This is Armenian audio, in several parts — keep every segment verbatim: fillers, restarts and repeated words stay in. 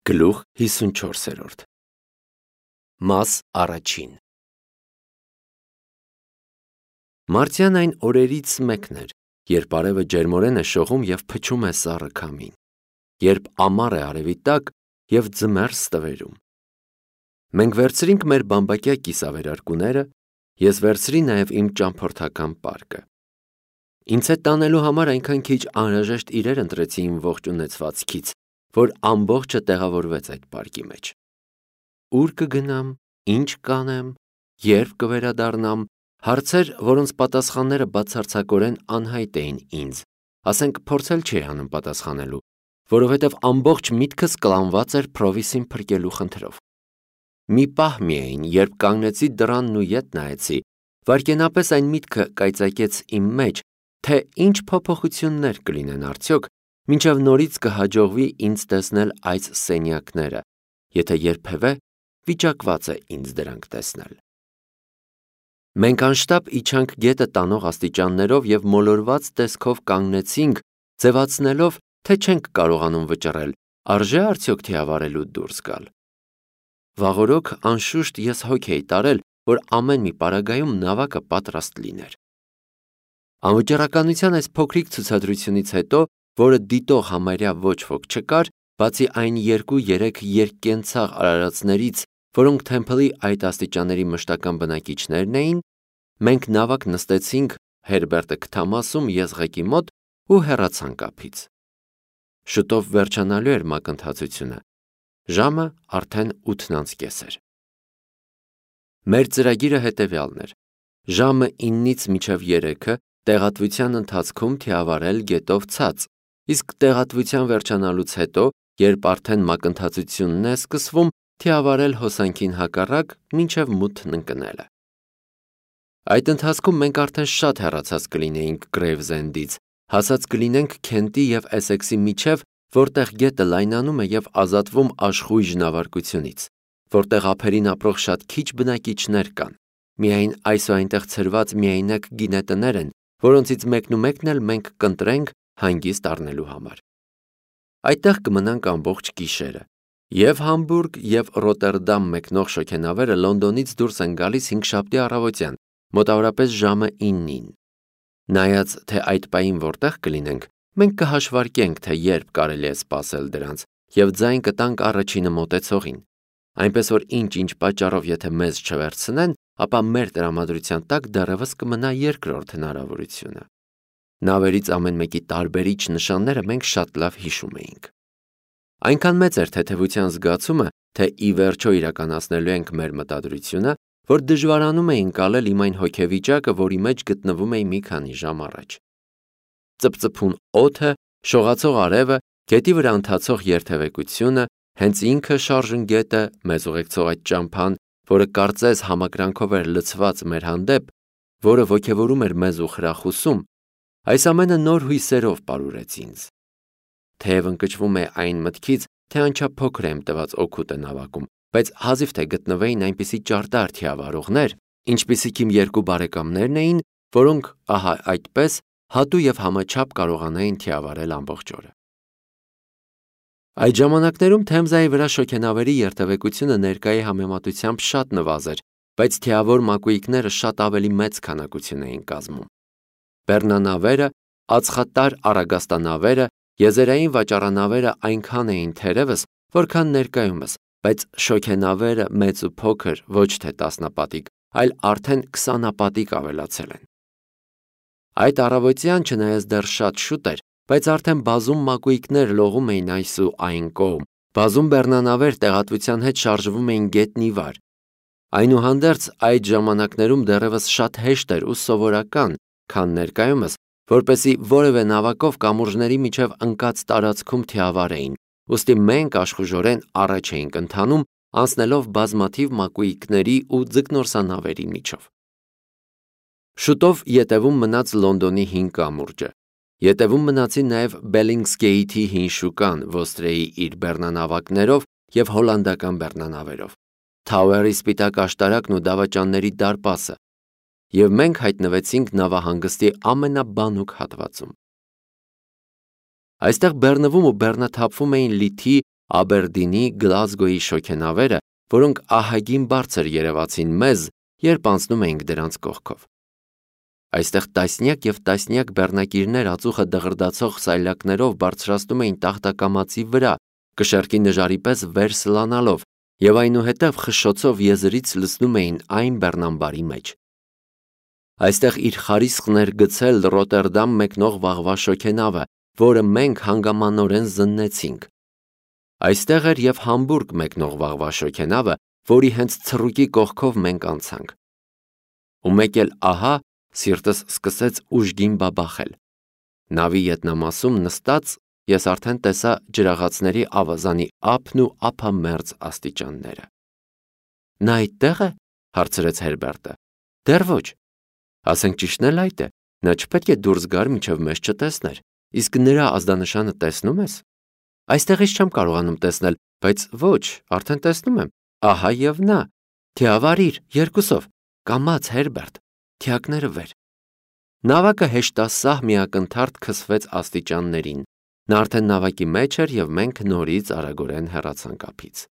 Գլուխ հիսունչորսերորդ Մաս առաջին Մարտյան այն օրերից մեկն էր, երբ արևը ջերմորեն է շողում և փչում է սառը քամին, երբ ամառ է արևի տակ և ձմեռ ստվերում։ Մենք վերցրինք մեր բամբակյա կիսավերարկուները, ես վերցրի նաև իմ ճամփորդական պարկը։ Ինձ հետ տանելու համար այնքան քիչ անհրաժեշտ իրեր ընտրեցի իմ ողջ ունեցվածքից, որ ամբողջը տեղավորվեց այդ պարկի մեջ։ Ուր կգնամ, ինչ կանեմ, երբ կվերադառնամ, հարցեր, որոնց պատասխանները բացարձակորեն անհայտ էին ինձ, ասենք փորձել չէի անում պատասխանելու, որովհետև ամբողջ միտքս կլանված էր Փրովիսին փրկելու խնդրով։ Մի պահ միայն, երբ կանգնեցի դռանն ու ետ նայեցի, վայրկենապես այն միտքը կայծակեց իմ մեջ, թե ինչ փոփոխություններ կլինեն արդյոք, մինչև նորից կհաջողվի ինձ տեսնել այս սենյակները, եթե երբևէ վիճակված է ինձ դրանք տեսնել։ Մենք անշտապ իջանք գետը տանող աստիճաններով և մոլորված տեսքով կանգնեցինք, ձևացնելով, թե չենք կարողանում վճռել, արժե՞ արդյոք թիավարելու դուրս գալ։ Վաղօրոք անշուշտ ես հոգ էի տարել, որ ամեն մի պարագայում նավակը պատրաստ լիներ։ Անվճռականության այս փոքրիկ ցուցադրությունից հետո, որը դիտող համարյա ոչ ոք չկար, բացի այն երկու-երեք երկկենցաղ արարածներից, որոնք Թեմփլի այդ աստիճանների մշտական բնակիչներն էին, մենք նավակ նստեցինք Հերբերտը քթամասում եզղեկի մոտ ու հեռացանք ափից։ Շուտով վերջանալու էր մակընթացությունը, ժամը արդեն ութն անց կես էր։ Մեր ծրագիրը հետևյալն էր. ժամը իննից մինչև երեքը տեղատվության ընթացքում թիավարել գետով ցած, իսկ տեղատվության վերջանալուց հետո, երբ արդեն մակընթացությունն է սկսվում, թիավարել հոսանքին հակառակ մինչև մութն ընկնելը։ Այդ ընթացքում մենք արդեն շատ հեռացած կլինեինք Գրեյվզենդից, հասած կլինենք Քենտի և Էսեքսի միջև, որտեղ գետը լայնանում է և ազատվում աշխույժ նավարկությունից, որտեղ ափերին ապրող շատ քիչ բնակիչներ կան, միայն այս ու այնտեղ ցրված միայնակ գինետներ են, որոնցից մեկնումեկն էլ մենք կընտրենք հանգիստ առնելու համար։ Այդտեղ կմնանք ամբողջ գիշերը։ Եվ Համբուրգ և Ռոտերդամ մեկնող շոգենավերը Լոնդոնից դուրս են գալիս հինգշաբթի առավոտյան, մոտավորապես ժամը իննին։ Նայած, թե այդ պահին որտեղ կլինենք, մենք կհաշվարկենք, թե երբ կարելի է սպասել դրանց, և ձայն կտանք առաջինը մոտեցողին, այնպես որ ինչ-ինչ պատճառով եթե մեզ չվերցնեն, ապա մեր տրամադրության տակ դեռևս կմնա երկրորդ հնարավորությունը։ Նավերից ամեն մեկի տարբերիչ նշանները մենք շատ լավ հիշում էինք։ Այնքան մեծ էր թեթևության զգացումը, թե ի վերջո իրականացնելու ենք մեր մտադրությունը, որ դժվարանում է ընկալել իմ այն հոգեվիճակը, որի մեջ գտնվում էի մի քանի ժամ առաջ։ Ծպծփուն օդը, շողացող արևը, գետի վրա ընթացող երթևեկությունը, հենց ինքը շարժն գետը, մեզ ուղեկցող այդ ճամփան, որը կարծես համակրանքով էր լցված մեր հանդեպ, որը ոգևորում էր մեզ ու խրախուսում, այս ամենը նոր հույսերով պարուրեց ինձ։ Թեև ընկճվում է այն մտքից, թե անչափ փոքր է իմ տված օգուտը նավակում, բայց հազիվ թե գտնվեին այնպիսի ճարտար թիավարողներ, ինչպիսիք իմ երկու բարեկամներն էին, որոնք, ահա այդպես, հատու և համաչափ կարողանային թիավարել ամբողջ օրը։ Այդ ժամանակներում Թեմզայի վրա շոգենավերի երթևեկությունը ներկայի համեմատությամբ շատ նվազ էր, բայց թիավոր մակույկները շատ ավելի մեծ քանակություն էին կազմում։ Բեռնանավերը, ածխատար առագաստանավերը, եզերային վաճառանավերը այնքան էին թերևս, որքան ներկայումս, բայց շոգենավերը մեծ ու փոքր, ոչ թե տասնապատիկ, այլ արդեն քսանապատիկ ավելացել են։ Այդ առավոտյան, չնայած դեռ շատ շուտ էր, բայց արդեն բազում մակույկներ լողում էին այս ու այն կողմ, բազում բեռնանավեր տեղատվության հետ շարժվում էին գետնի վար։ Այնուհանդերձ այդ ժամանակներում դեռևս շատ հեշտ էր ու սովորական, քան ներկայումս, որպեսզի որևէ նավակով կամուրջների միջև ընկած տարածքում թիավարեին, ուստի մենք աշխուժորեն առաջ էինք ընթանում, անցնելով բազմաթիվ մակույկների ու ձկնորսանավերի միջով։ Շուտով ետևում մնաց Լոնդոնի հին կամուրջը, ետևում մնացին նաև Բելինգզգեյթի հին շուկան Ոստրեի իր բեռնանավակներով և հոլանդական բեռնանավերով, Թաուերի սպիտակ աշտարակն ու դավաճանների դարպասը, և մենք հայտնվեցինք նավահանգստի ամենաբանուկ հատվածում։ Այստեղ բեռնվում ու բեռնաթափվում էին լիթի Աբերդինի, Գլազգոյի շոգենավերը, որոնք ահագին բարձր երևացին մեզ, երբ անցնում էինք դրանց կողքով։ Այստեղ տասնյակ եւ տասնյակ բեռնակիրներ ածուխը դղրդացող սայլակներով բարձրացնում էին տախտակամածի վրա, կշեռքի նժարի պես վեր սլանալով, եւ այնուհետև խշշոցով եզրից լցնում էին այն բեռնամբարի մեջ։ Այստեղ իր խարիսխն էր գցել Ռոտերդամ մեկնող վաղվա շոգենավը, որը մենք հանգամանորեն զննեցինք։ Այստեղ էր եւ Համբուրգ մեկնող վաղվա շոգենավը, որի հենց ցռուկի կողքով մենք անցանք։ Ու մեկ էլ ահա սիրտս սկսեց ուժգին բաբախել։ Նավի ետնամասում նստած ես արդեն տեսա ջրաղացների ավազանի ափն ու ափամերձ աստիճանները։ Նա այդտեղ է, հարցրեց Հերբերտը։ Դեռ ոչ։ Ասենք ճիշտն էլ այդ է, նա չպետք է դուրս գար, մինչև մեզ չտեսներ, իսկ նրա ազդանշանը տեսնում ես։ Այստեղից չեմ կարողանում տեսնել, բայց ոչ, արդեն տեսնում եմ։ Ահա եւ նա։ Թիավարիր, երկուսով, կամաց Հերբերտ, թիակները վեր։ Նավակը հեշտասահ միակնթարթ քսվեց աստիճաններին։ Նա արդեն նավակի մեջ էր եւ մենք նորից արագորեն հեռացանք ափից։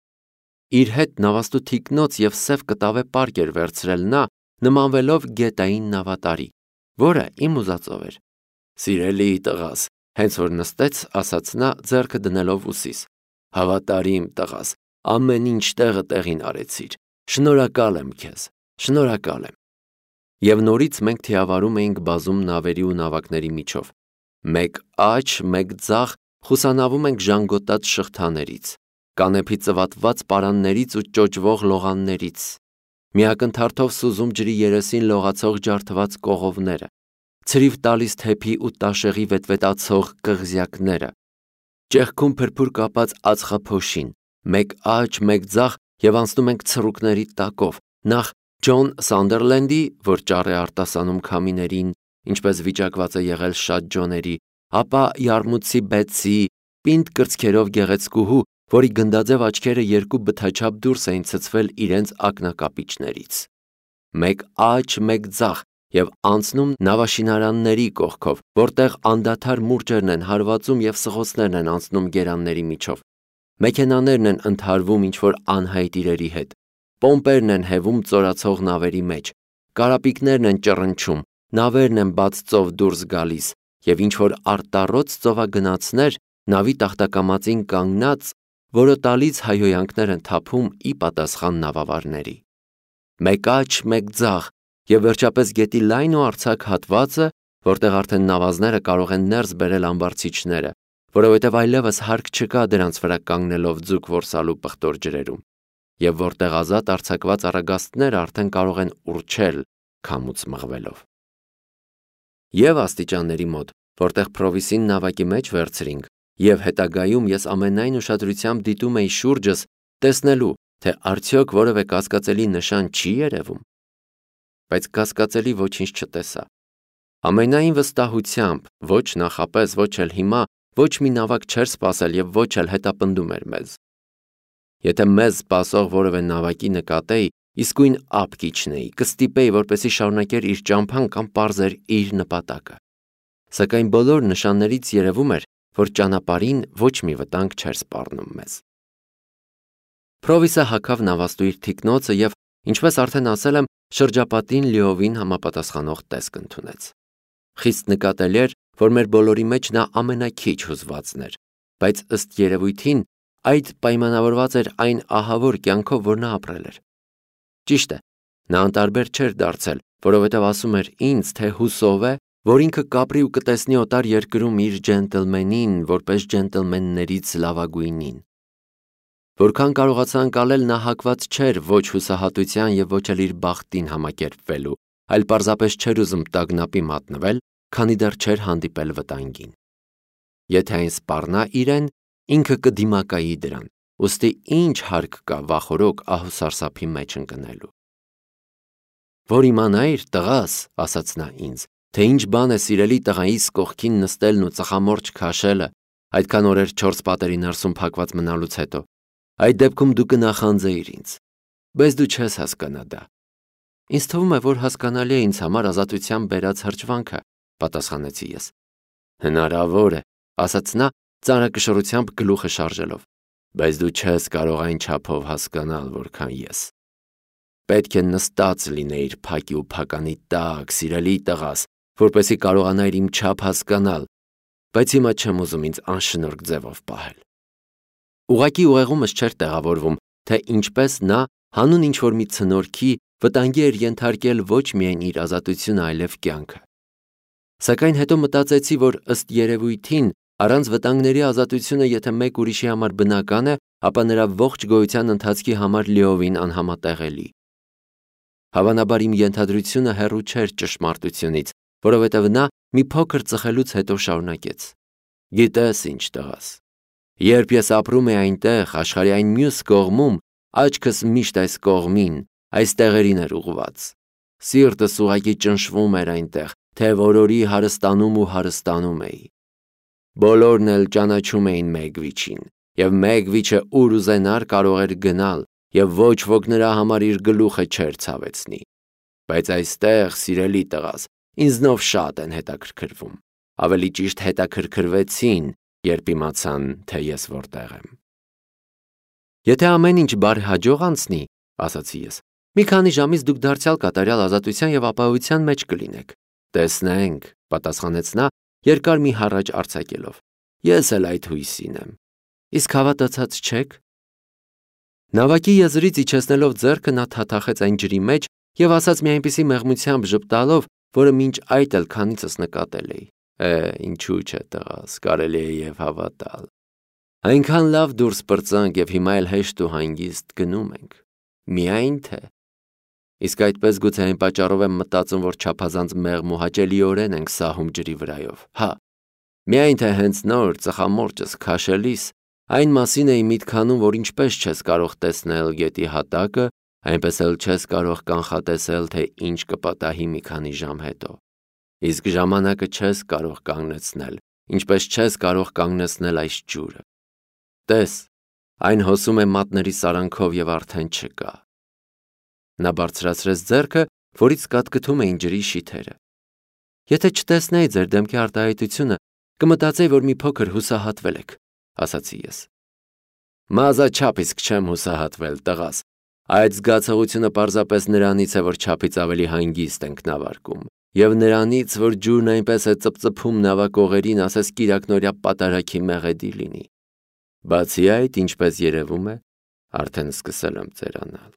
Իր հետ նավաստու թիկնոց եւ սև կտավե պարկ էր վերցրել նա, նմանվելով գետային նավատարի, որը իմ ուզածով էր։ Սիրելի տղաս, հենց որ նստեց, ասաց նա, ձեռքը դնելով ուսիս։ Հավատարիմ տղաս, ամեն ինչ տեղը տեղին արեցիր։ Շնորհակալ եմ քեզ, շնորհակալ եմ։ Եվ նորից մենք թիավարում էինք բազում նավերի ու նավակների միջով։ Մեկ աջ, մեկ ձախ խուսանավում ենք ժանգոտած շղթաներից, կանեփի ծվատված պարաններից ու ճոճվող լողաններից, միակնթարթով սուզում ջրի երեսին լողացող ջարդված կողովները, ցրիվ տալիս թեփի ու տաշեղի վետվետացող կղզյակները, ճեղքում փրփուր կապած ածխափոշին, մեկ աջ, մեկ ձախ եւ անցնում ենք ցռուկների տակով, նախ Ջոն Սանդերլենդի, որ ճառ է արտասանում քամիներին, ինչպես վիճակված է եղել շատ ջոների, ապա Յարմուտցի Բեցի, պինդ կրծքերով գեղեցկուհու, որի գնդաձև աչքերը երկու բթաչափ դուրս էին ցցվել իրենց ակնակապիճներից։ Մեկ աջ, մեկ ձախ եւ անցնում նավաշինարանների կողքով, որտեղ անդադար մուրճերն են հարվածում եւ սղոցներն են անցնում գերանների միջով։ Մեքենաներն են ընդհարվում ինչ-որ անհայտ իրերի հետ։ Պոմպերն են հևում ծորացող նավերի մեջ, կարապիկներն են ճռնչում, նավերն են բաց ծով դուրս գալիս, եւ ինչ-որ արտառոց ծովագնացներ նավի տախտակամածին կանգնած, որոտալից հայհոյանքներ են թափում ի պատասխան նավավարների։ Մեկ աջ, մեկ ձախ, եւ վերջապես գետի լայն ու արձակ հատվածը, որտեղ արդեն նավազները կարող են ներս բերել ամբարձիչները, որովհետև այլևս հարկ չկա դրանց վրա կանգնելով ձուկ որսալու պղտոր ջրերում, եւ որտեղ ազատ արձակված առագաստները արդեն կարող են ուռչել քամուց մղվելով։ Եվ աստիճանների մոտ, որտեղ Պրովիսին նավակի մեջ վերցրինք, եւ հետագայում ես ամենայն ուշադրությամբ դիտում էի շուրջս, տեսնելու, թե արդյոք որևէ կասկածելի նշան չի երևում, բայց կասկածելի ոչինչ չտեսա։ Ամենայն վստահությամբ, ոչ նախապես, ոչ էլ հիմա, ոչ մի նավակ չէր սպասել եւ ոչ էլ հետապնդում էր մեզ։ Եթե մեզ սպասող որևէ նավակի նկատեի, իսկույն ափ կիջնեի, կստիպեի, որպեսզի շարունակեր իր ճամփան կամ պարզեր իր նպատակը։ Սակայն բոլոր նշաններից երևում էր, որ ճանապարհին ոչ մի վտանգ չէր սպառնում մեզ։ Պրովիսը հագավ նավաստու իր թիկնոցը եւ, ինչպես արդեն ասել եմ, շրջապատին լիովին համապատասխանող տեսք ընդունեց։ Խիստ նկատելի էր, որ մեր բոլորի մեջ նա ամենաքիչ հուզվածն էր, բայց ըստ երևույթին այդ պայմանավորված էր այն ահավոր կյանքով, որ նա ապրել էր։ Ճիշտ է, նա անտարբեր չէր դարձել, որովհետև ասում էր ինձ, թե հուսով է, որ ինքը կապրի ու կտեսնի օտար երկրում իր ջենտլմենին, որպես ջենտլմեններից լավագույնին։ Որքան կարողացա ընկալել, նա հակված չէր ոչ հուսահատության եւ ոչ էլ իր բախտին համակերպվելու, այլ պարզապես չէր ուզում տագնապի մատնվել, քանի դեռ չէր հանդիպել վտանգին։ Եթե այն սպառնա իրեն, ինքը կդիմակայի դրան, ուստի ինչ հարկ կա վախորոք ահուսարսափի մեջ ընկնելու։ Որ իմանայիր, տղաս, ասաց նա ինձ, թե ինչ բան է սիրելի տղայիս կողքին նստելն ու ծխամորճ քաշելը, այդքան օրեր չորս պատերի ներսում փակված մնալուց հետո, այդ դեպքում դու կնախանձեիր ինձ, բայց դու չես հասկանա դա։ Ինձ թվում է, որ հասկանալի է ինձ համար ազատության բերած հրճվանքը, պատասխանեցի ես։ Հնարավոր է, ասաց նա ծանրակշռությամբ գլուխը շարժելով, բայց դու չես կարող այն չափով հասկանալ, որքան ես։ Պետք է նստած լինեիր փակի ու փականի տակ, սիրելի տղաս, որպեսզի կարողանայիր իմ չափ հասկանալ, բայց հիմա չեմ ուզում ինձ անշնորհք ձևով պահել։ Ուղղակի ուղեղումս չէր տեղավորվում, թե ինչպես նա հանուն ինչ-որ մի ցնորքի վտանգի էր ենթարկել ոչ միայն իր ազատությունը, այլև կյանքը։ Սակայն հետո մտածեցի, որ ըստ երևույթին առանց վտանգների ազատությունը, եթե մեկ ուրիշի համար բնական է, ապա նրա ողջ գոյության ընթացքի համար լիովին անհամատեղելի։ Հավանաբար իմ ենթադրությունը հեռու չէր ճշմարտությունից, որովհետև նա մի փոքր ծխելուց հետո շարունակեց. Գիտես ինչ, տղաս, երբ ես ապրում էի այնտեղ, աշխարհի այն մյուս կողմում, աչքս միշտ այս կողմին, այս տեղերին էր ուղղված։ Սիրտս ուղղակի ճնշվում էր այնտեղ, թե որորի հարստանում ու հարստանում էի։ Բոլորն էլ ճանաչում էին Մեգվիչին, և Մեգվիչը ուր ուզենար կարող էր գնալ, և ոչ ոք նրա համար իր գլուխը չէր ցավեցնի։ Բայց այստեղ, սիրելի տղաս, ինձնով շատ են հետաքրքրվում, ավելի ճիշտ հետաքրքրվեցին, երբ իմացան, թե ես որտեղ եմ։ Եթե ամեն ինչ բարեհաջող անցնի, ասացի ես, մի քանի ժամից դուք դարձյալ կատարյալ ազատության և ապահովության մեջ կլինեք։ Տեսնենք, պատասխանեց նա, երկար մի հառաչ արձակելով։ Ես էլ այդ հույսին եմ։ Իսկ հավատացած չեք։ Նավակի եզրից իջեցնելով ձեռքը նա թաթախեց այն ջրի մեջ և ասաց մի այնպիսի մեղմությամբ ժպտալով, որը մինչ այդ էլ քանիցս նկատել էի։ Է, ինչու՞ չէ, տղաս, կարելի է և հավատալ։ Այնքան լավ դուրս պրծանք և հիմա էլ հեշտ ու հանգիստ գնում ենք։ Միայն թե։ Իսկ այդպես գուցե այն պատճառով եմ մտածում, որ չափազանց մեղմ ու հաճելիորեն ենք սահում ջրի վրայով։ Հա, միայն թե հենց նոր ծխամորճս քաշելիս այն մասին էի միտք անում, որ ինչպես չես կարող տեսնել գետի հատակը, այնպես էլ չես կարող կանխատեսել, թե ինչ կպատահի մի քանի ժամ հետո։ Իսկ ժամանակը չես կարող կանգնեցնել, ինչպես չես կարող կանգնեցնել այս ջուրը։ Տես, այն հոսում է մատների սարանքով և արդեն չկա։ Նա բարձրացրեց ձեռքը, որից կատկթում էին ջրի շիթերը։ Եթե չտեսնեի ձեր դեմքի արտահայտությունը, կմտածեի, որ մի փոքր հուսահատվել եք, ասացի ես։ Մազաչափ իսկ չեմ հուսահատվել, տղաս։ Այդ զգացողությունը պարզապես նրանից է, որ չափից ավելի հանգիստ ենք նավարկում, և նրանից, որ ջուրն այնպես է ծպծփում նավակողերին, ասես կիրակնօրյա պատարագի մեղեդի լինի։ Բացի այդ, ինչպես երևում է, արդեն սկսել եմ ծերանալ։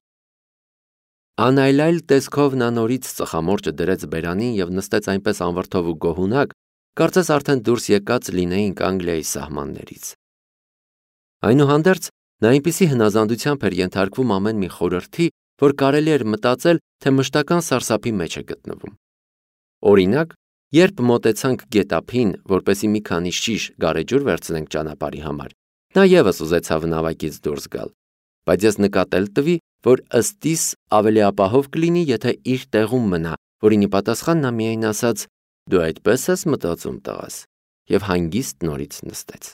Անայլայլ տեսքով նա նորից ծխամորճը դրեց բերանին և նստեց այնպես անվրդով ու գոհունակ, կարծես արդեն դուրս եկած լինեինք Անգլիայի սահմաններից։ Այնուհանդերձ, նա այնպիսի հնազանդությամբ էր ենթարկվում ամեն մի խորհրդի, որ կարելի էր մտածել, թե մշտական սարսափի մեջ է գտնվում։ Օրինակ, երբ մոտեցանք գետափին, որպեսզի մի քանի շիշ գարեջուր վերցնենք ճանապարհի համար, նա ևս ուզեցավ նավակից դուրս գալ, բայց ես նկատել տվի, որ ըստիս ավելի ապահով կլինի, եթե իր տեղում մնա, որին ի պատասխան նա միայն ասաց. «Դու այդպես ես մտածում, տղաս», և հանգիստ նորից նստեց։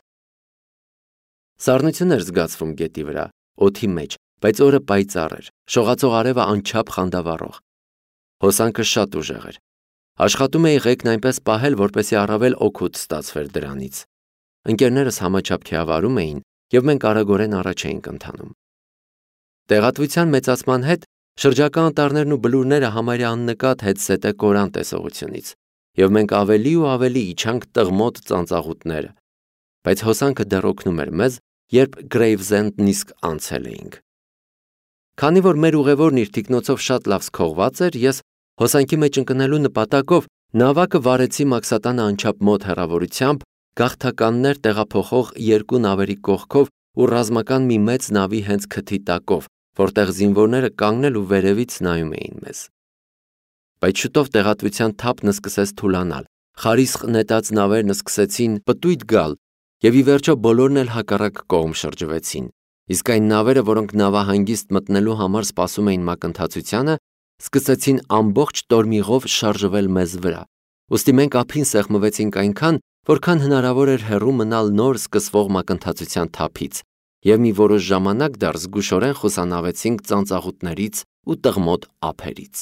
Սառնություն էր զգացվում գետի վրա, օդի մեջ, բայց օրը պայծառ էր, շողացող արևը անչափ խանդավառող։ Հոսանքը շատ ուժեղ էր։ Աշխատում էի ղեկն այնպես պահել, որպեսզի առավել օգուտ ստացվեր դրանից։ Ընկերներս համաչափ քիավարում էին, և մենք արագորեն առաջ էինք ընթանում։ Տեղատվության մեծացման հետ շրջակա անտառներն ու բլուրները համարյա աննկատ հետզհետե կորան տեսողությունից, և մենք ավելի ու ավելի իջանք տղմոտ ծանծաղուտները, բայց հոսանքը դեռ օգնում էր մեզ, երբ Գրեյվզենդն իսկ անցել էինք։ Քանի որ մեր ուղևորն իր թիկնոցով շատ լավ սքողված էր, ես հոսանքի մեջ ընկնելու նպատակով նավակը վարեցի Մաքսատանը անչափ մոտ հեռավորությամբ, գաղթականներ տեղափոխող երկու նավերի կողքով ու ռազմական մի մեծ նավի հենց քթի տակով, որտեղ զինվորները կանգնել ու վերևից նայում էին մեզ։ Բայց շուտով տեղատվության թափն սկսեց թուլանալ, խարիսխ նետած նավերն սկսեցին պտույտ գալ, և ի վերջո բոլորն էլ հակառակ կողմ շրջվեցին, իսկ այն նավերը, որոնք նավահանգիստ մտնելու համար սպասում էին մակընթացությանը, սկսեցին ամբողջ տորմիղով շարժվել մեզ վրա, ուստի մենք ափին սեղմվեցինք այնքան, որքան հնարավոր էր հեռու մնալ նոր սկսվող մակընթացության թափից, և մի որոշ ժամանակ դեռ զգուշորեն խուսանավեցինք ծանծաղուտներից ու տղմոտ ափերից։